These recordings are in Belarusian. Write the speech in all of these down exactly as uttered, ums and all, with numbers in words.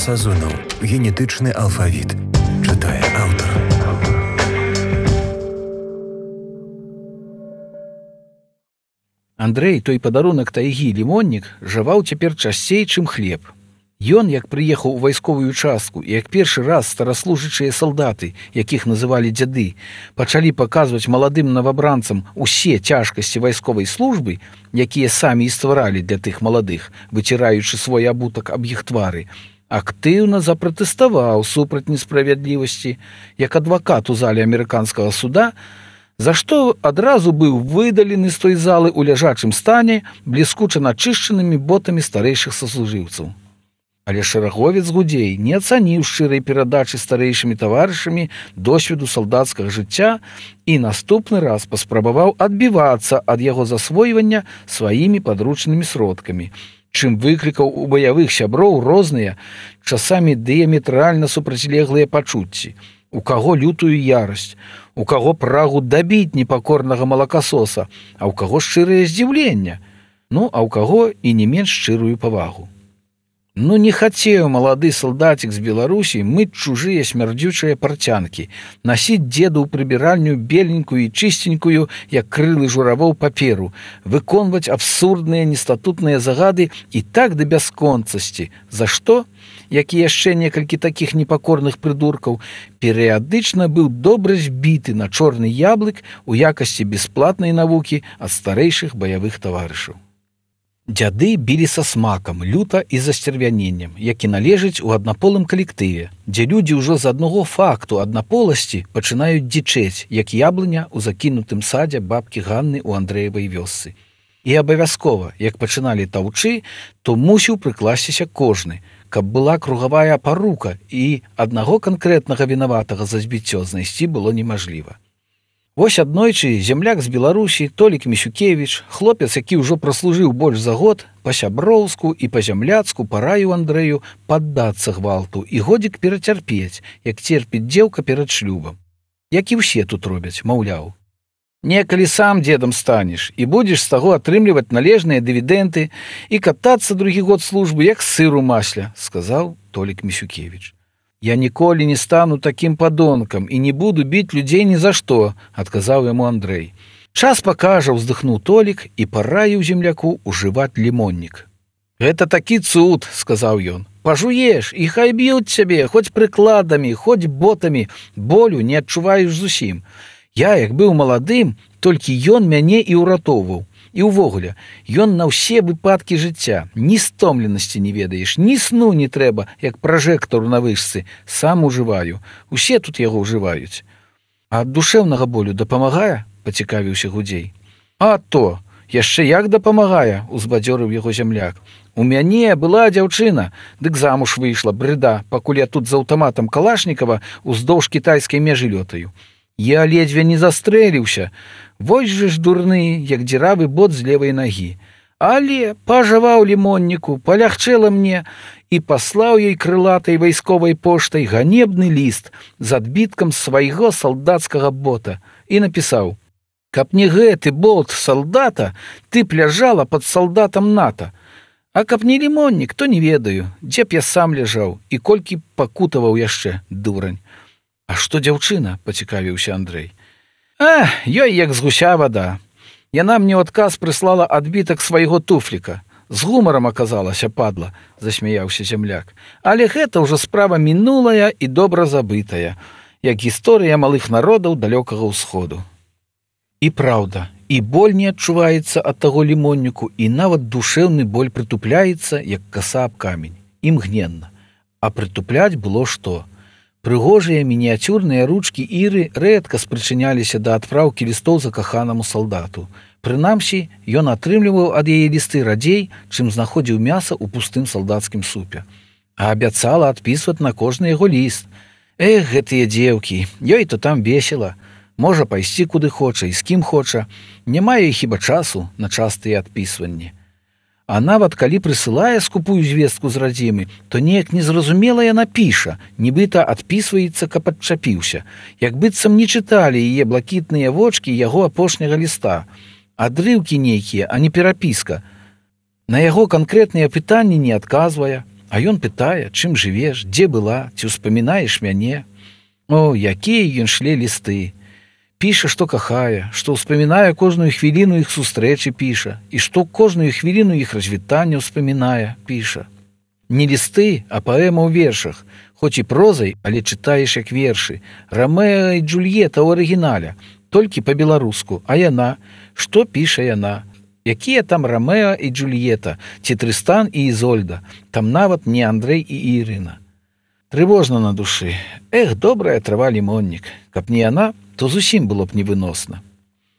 Сазонаў. Генетычны алфавіт. Чытае аўтар. Андрэй, той падарунак тайгі лімоннік, жаваў цяпер часцей, чым хлеб. Ён, як прыехаў у вайсковую частку, і як першы раз стараслужачыя салдаты, якіх называлі дзяды, пачалі паказваць маладым новабранцам усе цяжкасці вайсковай службы, якія самі і стваралі для тых маладых, выціраючы свой абутак аб іх твары, актыўна запратэставаў супраць несправядлівасці, як адвакат у зале амерыканскага суда, за што адразу быў выдалены з той залы ў ляжачым стане бліскуча начышчанымі ботамі старэйшых саслужыўцаў. Але шэраговец гудзей не ацаніў шчырай перадачы старэйшымі таварышамі досведу салдацкага жыцця і наступны раз паспрабаваў адбівацца ад яго засвойвання сваімі падручнымі сродкамі, чым выклікаў у баявых сяброў розныя, часамі дыяметральна супрацьлеглыя пачуцці, у каго лютую ярасць, у каго прагу дабіць непакорнага малакасоса, а ў каго шчырае здзіўленне, ну, а ў каго і не менш шчырую павагу. Ну, не хацеў малады салдацік з Беларусі мыць чужыя смярдзючыя парцянкі, насіць дзеду ў прыбіральню беленькую і чыстенькую, як крылы журавоў паперу, выконваць абсурдныя нестатутныя загады і так да бясконцасці, за што, як і яшчэ некалькі такіх непакорных прыдуркаў, перыядычна быў добра збіты на чорны яблык у якасці бясплатнай навукі ад старэйшых баявых таварышаў. Дзяды білі са смакам, люта і засцервяненнем, які належыць у аднаполым калектыве, дзе людзі ўжо з аднаго факту аднаполасці пачынаюць дзічэць, як яблыня ў закінутым садзе бабкі Ганны ў Андрэевай вёсцы. І абавязкова, як пачыналі таўчы, то мусіў прыкласціся кожны, каб была кругавая парука, і аднаго канкрэтнага вінаватага за збіццё знайсці было немажліва. Вось аднойчы земляк з Беларусі Толік Місюкевіч, хлопец, які ўжо праслужыў больш за год, па-сяброўску і па-зямляцку параіў Андрэю паддацца гвалту і годзік перацярпець, як церпіць дзеўка перад шлюбам. Як і ўсе тут робяць, маўляў. Некалі сам дзедам станеш і будзеш з таго атрымліваць належныя дывідэнты і катацца другі год службы, як сыр у масле, сказаў Толік Місюкевіч. «Я ніколі не стану такім падонкам і не буду біць людзей ні за што», адказаў яму Андрэй. «Час пакажа», ўздыхнуў Толік і параіў земляку ўжываць лімоннік. «Гэта такі цуд», сказаў ён. «Пажуеш, і хай б'юць цябе, хоць прыкладамі, хоць ботамі, болю не адчуваеш зусім. Я, як быў маладым, толькі ён мяне і ўратоўваў. І ўвогуле, ён на ўсе выпадкі жыцця, ні стомленасці не ведаеш, ні сну не трэба, як пражэктару на вышцы, сам ужываю. Усе тут яго ўжываюць. А ад душэўнага болю дапамагае?» пацікавіўся гудзей. «А то, яшчэ як дапамагае», узбадзёрыў яго зямляк. «У мяне была дзяўчына, дык замуж выйшла, брыда, пакуль я тут з аўтаматам Калашнікава уздоўж кітайскай мяжы лётаю. Я ледзьве не застрэліўся. Вось жа ж дурны, як дзіравы бот з левай нагі. Але пажаваў лімонніку, палягчэла мне і паслаў ёй крылатай вайсковай поштай ганебны ліст з адбіткам свайго салдацкага бота і напісаў: «Каб не гэты болт салдата, ты б ляжала пад салдатам НАТО. А каб не лімоннік, то не ведаю, дзе б я сам ляжаў і колькі пакутаваў яшчэ, дурань». «А што дзяўчына?» пацікавіўся Андрэй. «А, ёй як з гуся вада. Яна мне ў адказ прыслала адбітак свайго туфліка. З гумарам аказалася, падла», засмяяўся земляк. «Але гэта ўжо справа мінулая і добра забытая, як гісторыя малых народаў далёкага ўсходу». І праўда, і боль не адчуваецца ад таго лімонніку, і нават душэўны боль прытупляецца, як каса аб камень, імгненна. А прытупляць было што? Прыгожыя мініяцюрныя ручкі Іры рэдка спрычыняліся да адпраўкі лістоў закаханаму салдату. Прынамсі, ён атрымліваў ад яе лісты радзей, чым знаходзіў мяса ў пустым салдацкім супе. А абяцала адпісваць на кожны яго ліст. Эх, гэтыя дзеўкі, ёй то там весела. Можа пайсці куды хоча і з кім хоча. Не мае хіба часу на частыя адпісванні. А нават калі прысылае скупую звестку з радзімы, то неяк незразумела яна піша, нібыта адпісваецца, каб адчапіўся, як быццам не чыталі яе блакітныя вочкі яго апошняга ліста. Адрыўкі нейкія, а не перапіска. На яго канкрэтныя пытанні не адказвае, А ён пытае, чым жывеш, дзе была, ці ўспамінаеш мяне. О, якія ён шле лісты. Піша, што кахае, што ўспамінае кожную хвіліну іх сустрэчы, піша, і што кожную хвіліну іх развітання ўспамінае, піша. Не лісты, а паэма ў вершах, хоць і прозай, але чытаеш як вершы. Рамеа і Джульета ў арыгінале, толькі па-беларуску, а яна, што піша яна? Якія там Рамеа і Джульета, ці Трыстан і Ізольда, там нават не Андрэй і Ірына. Трывожна на душы. Эх, добрая трава лімоннік. Каб не яна, то зусім было б невыносна.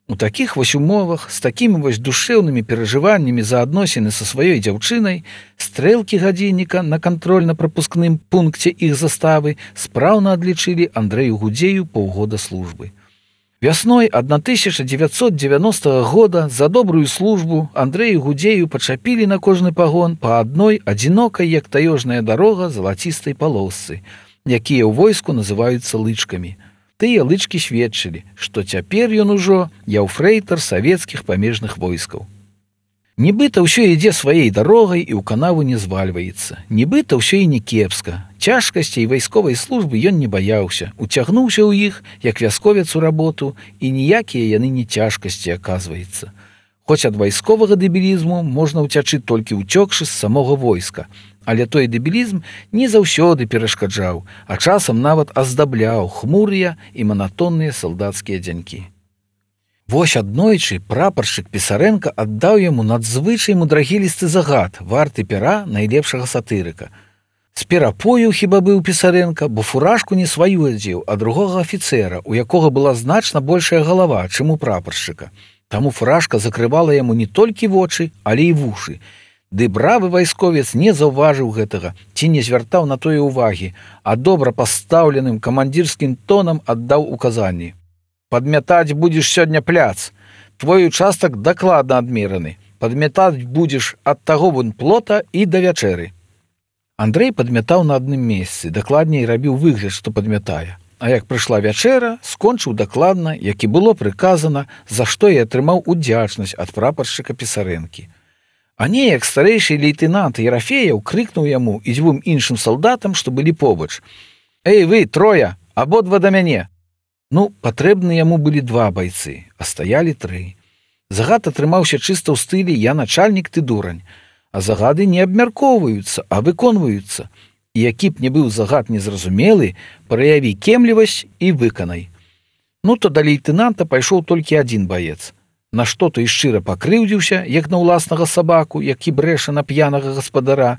У такіх вось умовах, з такімі вось душэўнымі перажываннямі за адносіны са сваёй дзяўчынай, стрэлкі гадзінніка на кантрольна-прапускным пункце іх заставы спраўна адлічылі Андрэю Гудзею паўгода службы. Вясной тысяча дзевяцьсот дзевяностага года за добрую службу Андрэю Гудзею пачапілі на кожны пагон па адной адзінокай, як таёжная дарога, залацістай палосцы, якія ў войску называюцца лычкамі. Тыя лычкі сведчылі, што цяпер ён ужо яўфрэйтар савецкіх памежных войскаў. Нібыта ўсё ідзе сваёй дарогай і ў канаву не звальваецца. Нібыта ўсё і не кепска. Цяжкасцей вайсковай службы ён не баяўся, уцягнуўся ў іх, як вясковец у работу, і ніякія яны не цяжкасці, аказваецца. Хоць ад вайсковага дэбілізму можна ўцячы толькі ўцёкшы з самога войска, але той дэбілізм не заўсёды перашкаджаў, а часам нават аздабляў хмурыя і манатонныя салдацкія дзянькі. Вось аднойчы прапаршчык Пісарэнка аддаў яму надзвычай мудрагілісты загад, варты пера найлепшага сатырыка. З перапою хіба быў Пісарэнка, бо фуражку не сваю адзеў, а другога афіцэра, у якога была значна большая галава, чым у прапаршчыка. Таму фуражка закрывала яму не толькі вочы, але і вушы. Ды бравы вайсковец не заўважыў гэтага, ці не звяртаў на тое ўвагі, а добра пастаўленым камандзірскім тонам аддаў указанні. Падмятаць будзеш сёння пляц. Твой участак дакладна адмераны. Падмятаць будзеш ад таго вон плота і да вячэры. Андрэй падмятаў на адным месцы, дакладней рабіў выгляд, што падмятае. А як прыйшла вячэра, скончыў дакладна, як і было прыказана, за што і атрымаў удзячнасць ад прапаршчыка Пісарэнкі. А неяк старэйшы лейтэнант Ерафеяў крыкнуў яму і дзвюм іншым салдатам, што былі побач: «Эй, вы, трое, абодва да мяне!» Ну, патрэбны яму былі два байцы, а стаялі тры. Загад атрымаўся чыста ў стылі «Я начальнік, ты дурань», а загады не абмяркоўваюцца, а выконваюцца. І які б не быў загад незразумелы, праяві кемлівасць і выканай. Ну, то да лейтэнанта пайшоў толькі адзін баец. На што той шчыра пакрыўдзіўся, як на ўласнага сабаку, які брэша на п'янага гаспадара,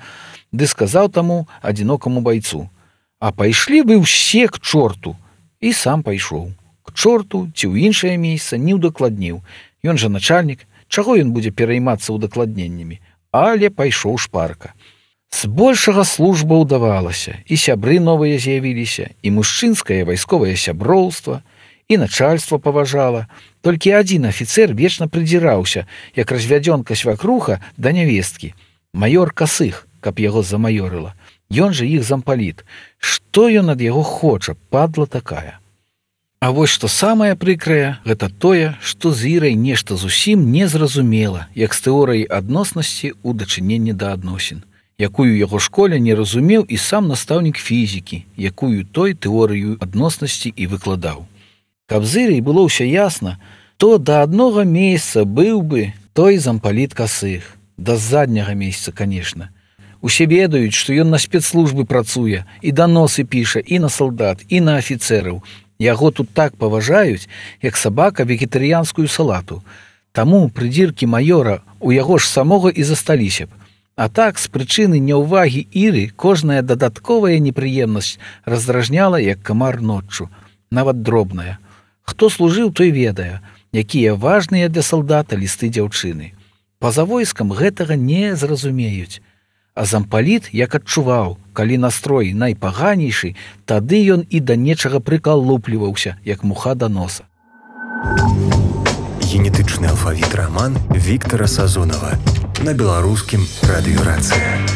ды сказаў таму адзінокаму байцу: «А пайшлі вы ўсе к чорту!» І сам пайшоў. К чорту ці ў іншае месца не ўдакладніў. Ён жа начальнік, чаго ён будзе пераймацца ўдакладненнямі? Але пайшоў шпарка. Збольшага служба ўдавалася, і сябры новыя з'явіліся, і мужчынскае вайсковае сяброўства, і начальства паважала. Толькі адзін афіцэр вечна прыдзіраўся, як развядзёнка свякруха да нявесткі. Маёр Касых, каб яго замаёрыла. Ён жа іх зампаліт. Што ён ад яго хоча, падла такая. А вось што самае прыкрае, гэта тое, што з Ірай нешта зусім незразумела, як з тэорыяй адноснасці ў дачыненні да адносін, якую яго школе не разумеў і сам настаўнік фізікі, якую той тэорыю адноснасці і выкладаў. Каб з Ірай было ўсё ясна, то да аднога месяца быў бы той зампаліт Касых. Да задняга месяца, канешне. Усе ведаюць, што ён на спецслужбы працуе, і даносы піша і на салдат, і на афіцэраў. Яго тут так паважаюць, як сабака вегетарыянскую салату. Таму прыдзіркі маёра у яго ж самога і засталіся б. А так, з прычыны няўвагі Іры, кожная дадатковая непрыемнасць раздражняла, як камар ноччу, нават дробная. Хто служыў, той ведае, якія важныя для салдата лісты дзяўчыны. Па-за войскам гэтага не зразумеюць. А зампаліт як адчуваў, калі настрой найпаганейшы, тады ён і да нечага прыкалупліваўся, як муха да носа. Генетычны алфавіт раман Віктара Сазонава на беларускім радыёрацыя.